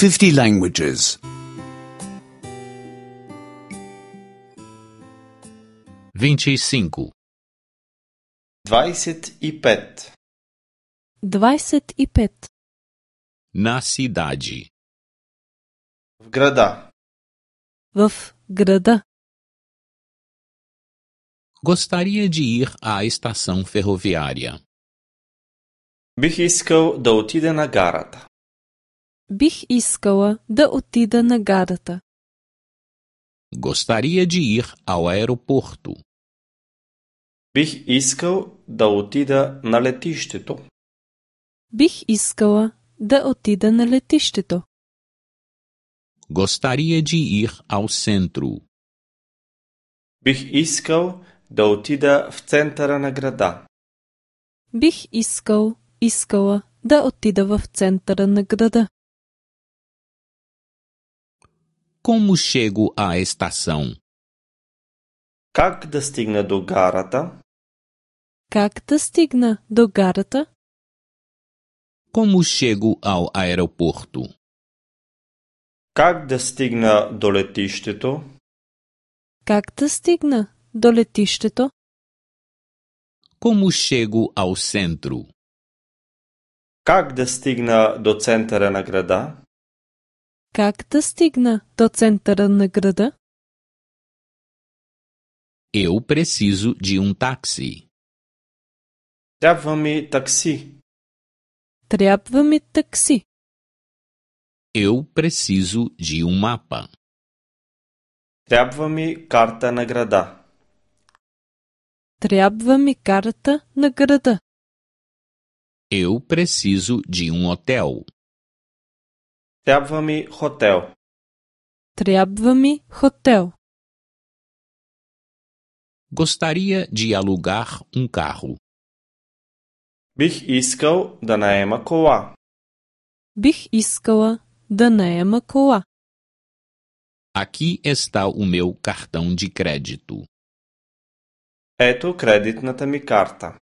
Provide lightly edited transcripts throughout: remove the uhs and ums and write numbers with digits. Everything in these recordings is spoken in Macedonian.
50 languages. 25. 25. 25. Na cidade. В града. В града. Gostaria de ir à estação ferroviária. Бих искал да отида на гарата. Бих искала да отида на гарата. Gostaria de ir ao aeroporto. Бих искал да отида на летището. Бих искала да отида на летището. Gostaria de ir ao centro. Бих искал да отида в центъра на града. Бих искала да отида в центъра на града. Como chego à estação? Как да стигна до гарата? Как да стигна до гарата? Como chego ao aeroporto? Как да стигна до летището? Как да стигна до летището? Como chego ao centro? Как да стигна до центъра на града? Как да стигна до центъра на града? Eu preciso de táxi. Трябва ми такси. Трябва ми такси. Eu preciso de mapa. Трябва ми карта на града. Трябва ми карта на града. Eu preciso de hotel. Трябва ми хотел. Трябва ми хотел. Gostaria de alugar carro. Бих искал да наема кола. Бих искала да наема кола. Aqui está o meu cartão de crédito. Ето кредитната ми карта.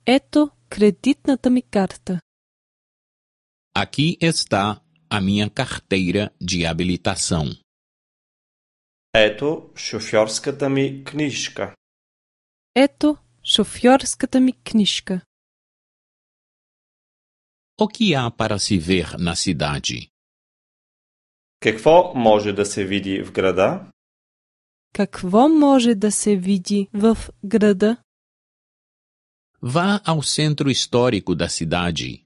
Ето кредитната ми карта. Aqui está a minha carteira de habilitação. Ето шофьорската ми книжка. Ето шофьорската ми книжка. O que há para se ver na cidade? Какво може да се види в града? Какво може да се види в града? Vá ao centro histórico da cidade.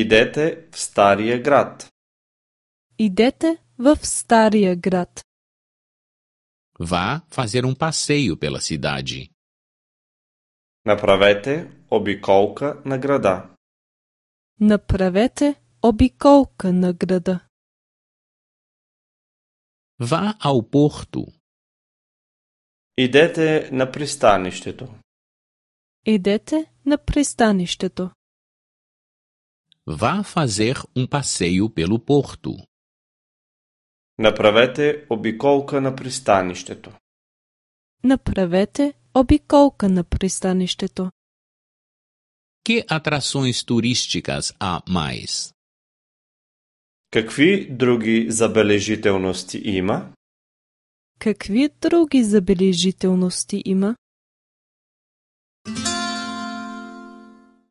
Идете в стария град. Идете в стария град. Vá fazer passeio pela cidade. Направете обиколка на града. Направете обиколка на града. Vá ao porto. Идете на пристанището. Идете на пристанището. Vá fazer passeio pelo porto. Направете обиколка на пристанището. Направете обиколка на пристанището. Que atrações turísticas há mais? Какви други забележителности има? Какви други забележителности има?